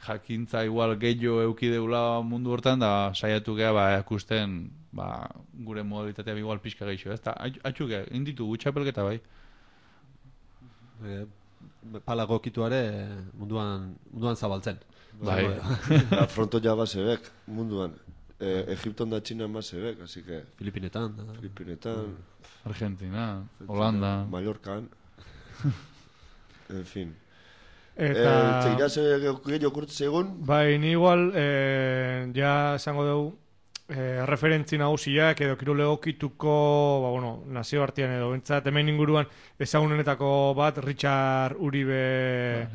jakintza igual gehiago eukideula mundu hortan, da saiatu geha ikusten gure modalitatea igual pixka gehiago, ez? Eta atxuke, inditu gutxapelketa bai. Pala gokituare munduan zabaltzen. Bai. Fronto ja basebek munduan. Egipton da Txina basebek, así que... Filipinetan. Argentina, Holanda. Mallorcan. En fin. Eta... Txegiraz gehiago kurtz egun? Bai, ni igual, ja esango dugu, referentzi nagusiak edo kirol egokituko, nazioartean edo bentsat, hemen inguruan ezagunenetako bat, Richard Uribe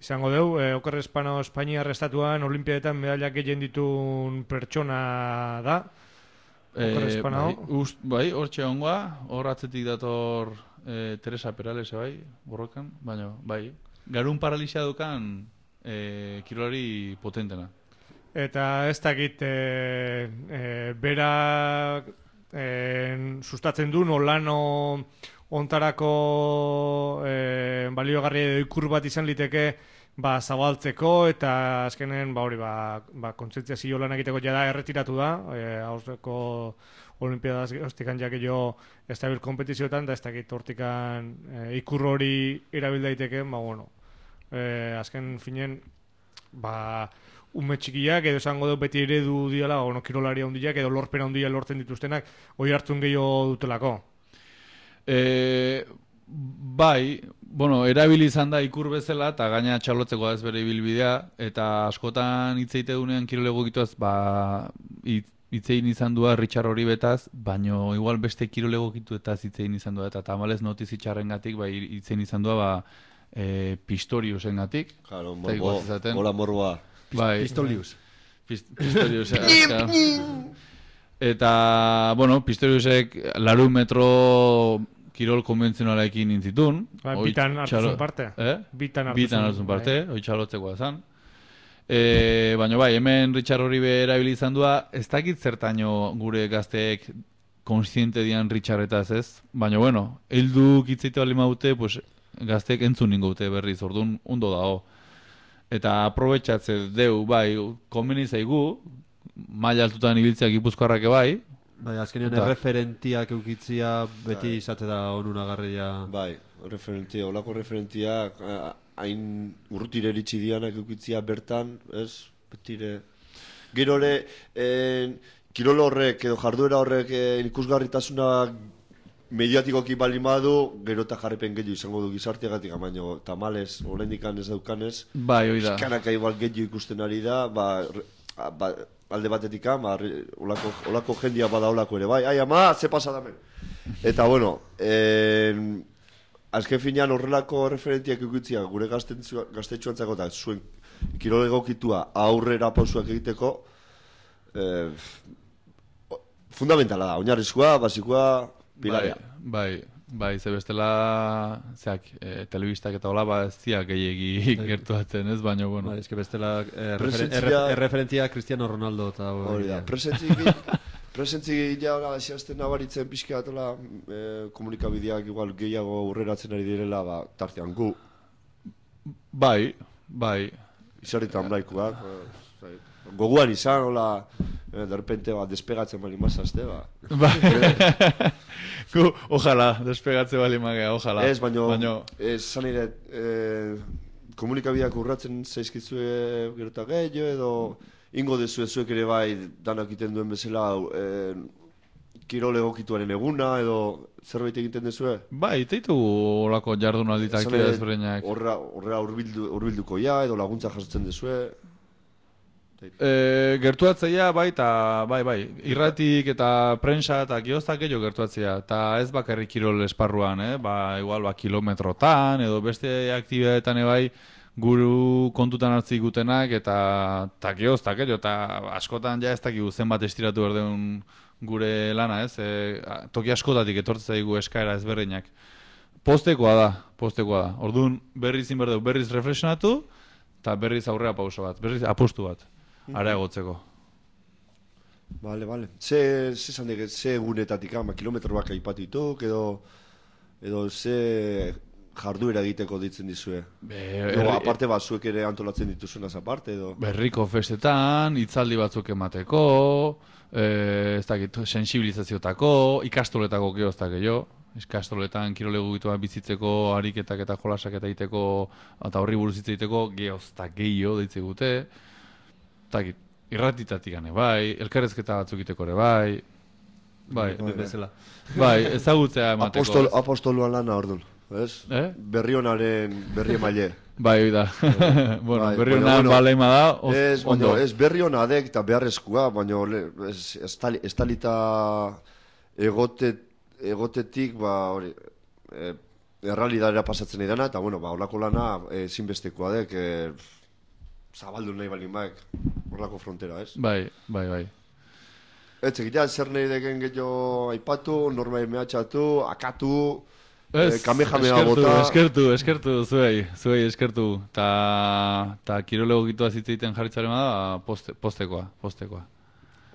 izango dugu, Oker Espano Espainiar estatuan olimpiadetan medallak gehien ditun pertsona da, Bai, hortxe ongoa, hor atzetik dator Teresa Perales, bai, borrokan, baina, bai, garun paralisia dukan kirolari potentena. Eta ez dakit bera sustatzen du nolano ontarako baliogarri edo ikur bat izan liteke zabaltzeko eta azkenen kontzientziazio lan egiteko jada erretiratu da aurreko olimpiadaz hostikan jakio estabil kompetizioetan da ez dakit hortikan ikur hori erabil daiteke azken finen ume txikiak edo esango dut beti eredu diala kirolari handiak edo lorpena handia lortzen dituztenak hori hartzun gehiago dutelako. Bai, erabili izan da ikur bezala eta gaina txalotzeko ez bere ibilbidea eta askotan hitzeitegunean kirolegokituaz hitzein izan dua Richard Horibetaz, baino igual beste kirolegokituetaz hitzein izan dua eta tamalez notizitxarrengatik hitzein izan dua Pistoriusengatik. Claro, morboa. Pistolius. Pistorius. Eta, Pistoriusek 100 metro kirol konbentzionalekin intzitun. Bitan hartzun parte. Bitan hartzun parte, hoi txalotzekoa zan. Baina hemen Richard Horibe erabili izan dua, ez dakit zertaino gure gazteek konstiente dian Richardetaz ez, baina heldu kitzeite bali maute, gazteek entzun ningo dute berriz, orduan ondo dago. Eta aprobetxatze deu, konbeni zaigu, maila altutan ibiltzeak Gipuzkoarrak bai. Bai, azkenean referentiak eukitzia beti izate da onunagarria. Bai, olako referentiak hain urrutire eritsi dianak eukitzia bertan, ez? Betire. Gero ere, kirol horrek edo jarduera horrek ikusgarritasuna mediatikoki bali madu, gero eta jarripen gehiago izango du gizarteagatik, baina tamales, oraindikan ez daukanez. Bai, hori da. Eskanaka igual gehiago ikusten ari da, alde batetik, olako jendia bada olako ere, bai, ama, ze pasa damen. Eta, azken finean horrelako referentiak eukitzia gure gaztetxuantzako eta zuen kirol egokitua aurrera pausuak egiteko fundamentala da, oinarrizkoa, basikoa, pilaria. Bai, ze bestela telebistak eta hola ez ziak gehiagi gertuatzen ez, baina Bai, ez que bestela referentzia Cristiano Ronaldo eta hori da, presentzi gila asiazten nabaritzen pixka atola komunikabideak igual gehiago aurreratzen ari direla tartean gu. Bai. Izarritan braikuak. Goguan izan, hola, de repente despegatzen bali mazazte, Ojalá, despegatze bali magea, ojalá. Ez, baina, zan ere, komunikabideak urratzen zaizkitzue gerota gehiago, edo ingo dezu zuek ere bai danak egiten duen bezala kirol egokituaren eguna, edo zerbait egiten dezue? Bai, iteitu horako jardunalditak ezberdinak. Horra urbilduko edo laguntza jasotzen dezue? Gertuatzea bai, irratik eta prensa eta kiostak gehiago gertuatzea, eta ez bakarrik kirol esparruan, igual kilometrotan edo beste aktibidadetan bai guru kontutan hartzik gutenak eta kiostak gehiago, eta askotan ez dakigu zenbat estiratu berdeun gure lana, toki askotatik etortzen zaigu eskaera ezberdinak. Postekoa da. Orduan berriz inberdeu, berriz reflexionatu eta berriz aurrera pauso bat, berriz apustu bat. Areagotzeko. Vale. Ze egunetatik kilometro baka ipatituk edo ze jarduera egiteko ditzen dizue? Aparte zuek ere antolatzen dituzunaz aparte edo? Berriko festetan, hitzaldi batzuk emateko, ez dakit, sensibilizaziotako, ikastoletako geoztak gehiago. Ikastoletan kirolegokituak bizitzeko ariketak eta jolasak eta egiteko eta horri buruz hitz egiteko geoztak gehiago deitze gute. Irratitatik gane, bai, elkarrezketa batzuk iteko ere, bai. Bai, ezagutzea emateko. Apostoluan lana orduan, ez? Berrionaren berri emaile. Bai, da. Berrionaren baleima da, ondo. Ez berrionadek eta beharrezkoa, baina ez talita egotetik, errealidadera pasatzen edana, eta, olako lana ezinbestekoa dek, zabaldu nahi balin baek horrelako frontera, ez? Bai. Etzekitea, zer nahi deken gehiago aipatu, norbai mehatxatu, akatu, kamehamea bota. Eskertu, zuei eskertu. Ta kirolego gitu azitzeiten jarritzaren da, postekoa.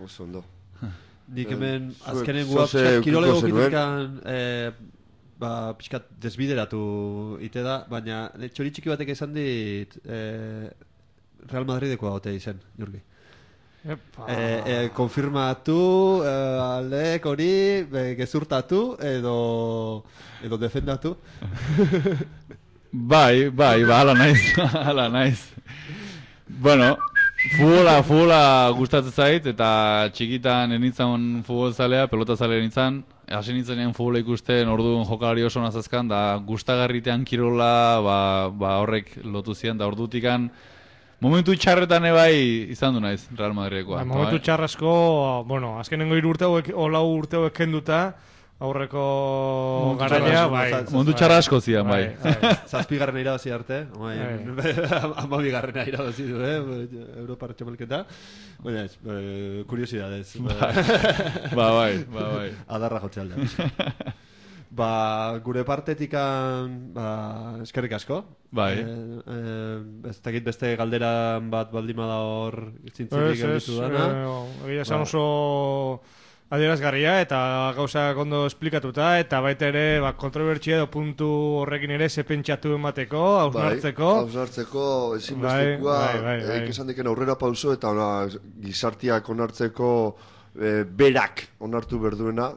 Oso ondo. Nik hemen azkenen pixkat kirolego gitukan pixkat desbideratu ite da, baina txori txiki batek esan dit Real Madridekoa gote izen, Jurgi. Konfirmatu, aldek hori, gezurtatu edo defendatu. Bai, ala naiz. Bueno, futbola gustatzen zait, eta txikitan enitzan futbol zalea, pelota zalea enitzan, hasi nintzenean futbola ikusten orduan jokalari oso nazazkan, da gustagarritean kirola, horrek lotu zian, da ordutikan, momentu txarretan ebai izan du naiz Real Madridekoa. Momentu txarrasko, bueno, azkenengo 3 urte hauek, o 4 urte hauek kenduta, aurreko garaia, bai. Momentu txarrasko zian, bai. 7. irabazi arte, 12. irabazi du, Europar txapelketa. Baina ez, kuriosidadez. Bai. Adarra jotze alda. Gure partetikan eskerrik asko. Bai. Ez dakit beste galderan bat baldima da hor zintzilik gelditu dana. Egia esan oso adierazgarria eta gauzak ondo esplikatuta eta baita ere kontrobertsia edo puntu horrekin ere ze pentsatu emateko, hausnartzeko ezinbestekoa esan diken aurrera pauso eta gizartiak onartzeko berak onartu berduena,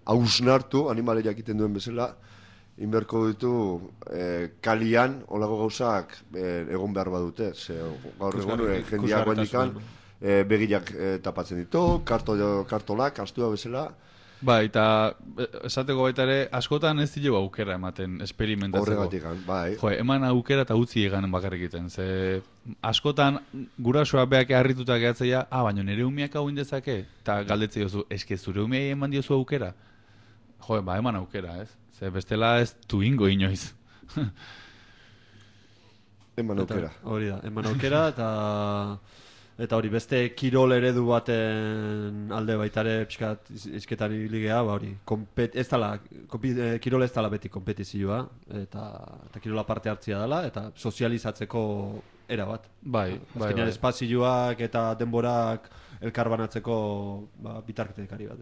hausnartu, animaleak egiten duen bezala, inberko ditu kalian olago gauzak egon behar badute. Gaur egun jendeak guendikan begiak tapatzen ditu, kartolak, astua bezala. Bai, eta esateko baita ere, askotan ez dilo aukera ematen esperimentatzeko. Horregatik, bai. Eman aukera eta utzi egan bakarrik egiten. Ze askotan gurasoa beak harrituta gehatzea, baina nire umiak hau indezake, eta galdetzea jozu, eske zure umiai eman diozu aukera? Eman aukera, ez? Ze bestela ez tuingo inoiz. Eman aukera. Hori da, eman aukera eta hori beste kirol eredu baten alde baitare pixkat izketan iligea, hori kirol ez dala beti kompetizioa eta kirola parte hartzia dela eta sozializatzeko era bat. Bai. Azkenean espazioak eta denborak elkarbanatzeko bitartekari bat.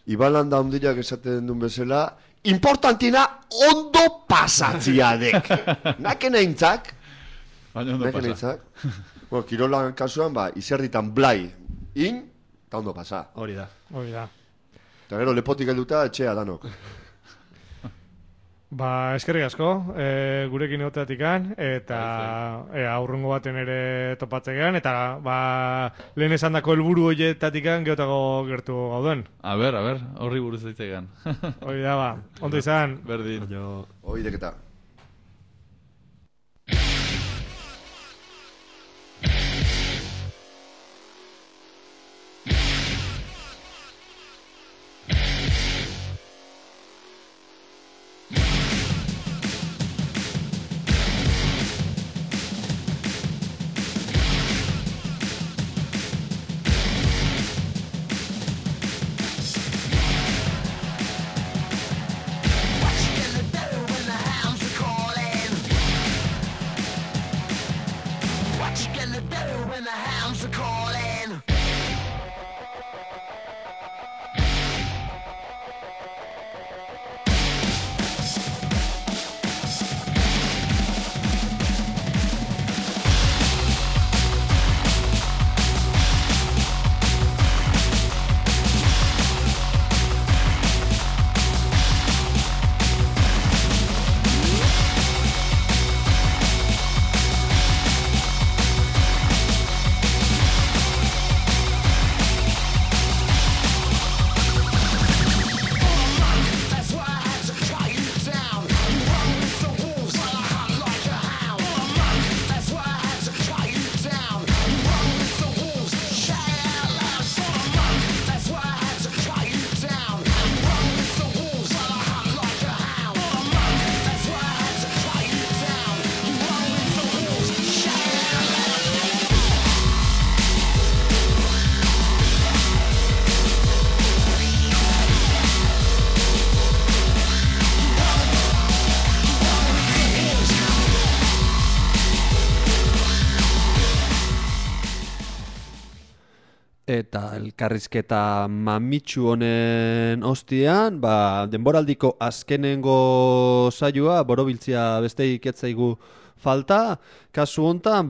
Iban da ondiak esaten duen bezala, importantina ondo pasatziadek. Naken eintzak. Baina ondo pasa. Kirolan kasuan, izerditan blai, eta ondo pasa. Hori da. Eta gero lepotik helduta etxea danok. Eskerrik asko, gurekin egoteatikan, eta aurrengo baten ere topatzean, eta lehen esan dako helburu horietatikan geotago gertu gauden. A ber, horri buruz zaitzegan. Hori da, ondo izan. Berdin. Hori deketa. eta elkarrizketa mamitsu honen ostian, denboraldiko azkenengo saioa, borobiltzia besteik etzaigu falta, kasu hontan,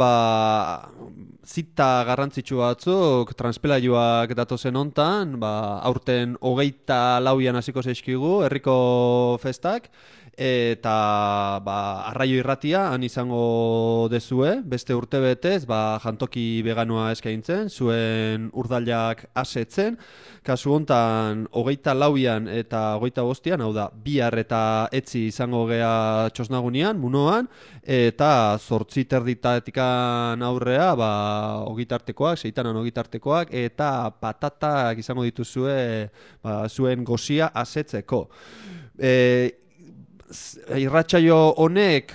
zita garrantzitsu batzuk, transpelaioak datozen hontan, aurten 24an hasiko zaizkigu, herriko festak, eta Arraio Irratia han izango dezue, beste urtebetez, jantoki veganoa eskaintzen, zuen urdailak asetzen, kasu hontan 24an eta 25an, hau da, bihar eta etzi izango gea txosnagunean, munoan, eta 8:30 aurrea, ogitartekoak, 6an ogitartekoak, eta patatak izango dituzue zuen gozia asetzeko. Irratsaio honek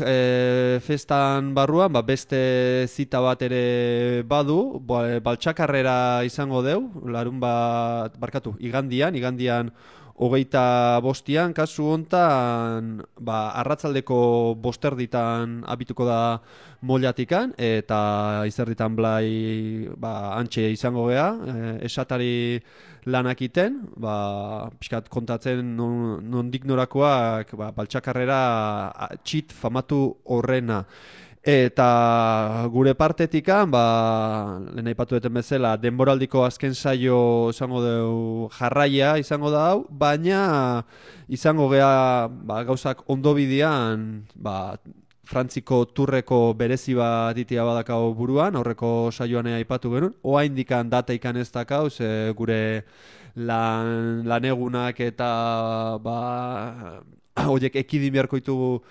festan barruan beste zita bat ere badu, baltsakarrera izango deu, igandian 25an, kasu hontan arratzaldeko 5:00 abituko da Mollatikan, eta izerditan blai antxe izango gea, esatari lanak iten, pixkat kontatzen nondik norakoak baltsakarrera txit famatu horrena. Eta gure partetikan, lehen aipatu duten bezala, denboraldiko azken saio izango dugu jarraia izango da hau, baina izango gea gauzak ondo bidean, Frantziko turreko berezi bat ditia badakau buruan, aurreko saioan aipatu genuen, oraindikan data ikan ez dakau, gure lanegunak eta horiek ekidin beharko ditugu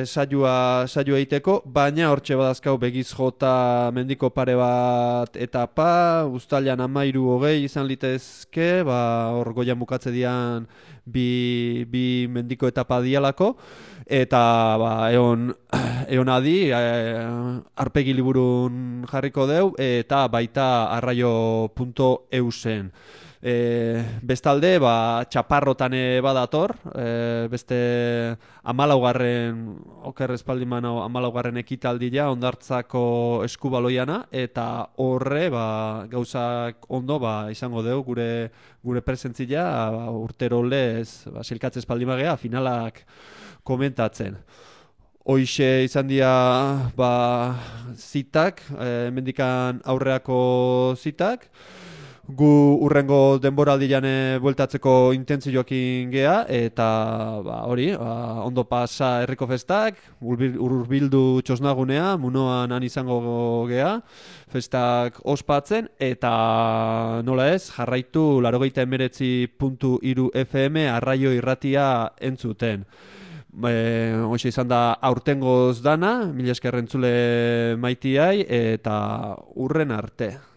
saioa egiteko, baina hortxe badazkau begiz jota mendiko pare bat etapa, uztailan 13-20 izan litezke, hor goian bukatze dian bi mendiko etapa dialako, eta eon adi, arpegi liburun jarriko deu, eta baita arraio.eusen. Bestalde, txaparrotan badator, beste 14. oker espaldiman 14. ekitaldia ondartzako eskubaloiana, eta horre gauzak ondo izango deu gure presentzia urtero lez silkatze espaldimagea finalak komentatzen. Hoixe izan dira zitak, hemendikan aurreako zitak. Gu urrengo denboraldian bueltatzeko intentzioekin gea, eta ondo pasa herriko festak, urbildu txosnagunea, munoan han izango gea, festak ospatzen, eta nola ez, jarraitu 89.3 FM Arraio Irratia entzuten. Hoxe izan da aurtengoz dana, mila esker entzule maitiai, eta urren arte.